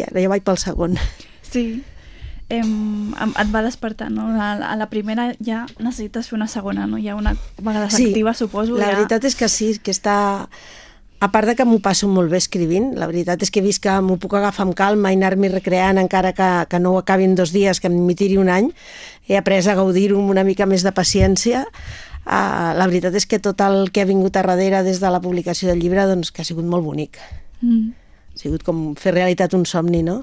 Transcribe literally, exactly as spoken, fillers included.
I ara ja vaig pel segon. Sí. Em, et va despertar, no? A, a la primera ja necessites fer una segona, no? Ja una vegada s'activa, sí, suposo. La ja... veritat és que sí, que està... A part de que m'ho passo molt bé escrivint, la veritat és que he vist que m'ho puc agafar amb calma i anar-m'hi recreant encara que, que no ho acabi en dos dies, que m'hi tiri un any. He après a gaudir-ho amb una mica més de paciència. Uh, la veritat és que tot el que ha vingut a darrere des de la publicació del llibre, doncs, que ha sigut molt bonic. Mm. Ha sigut com fer realitat un somni, no?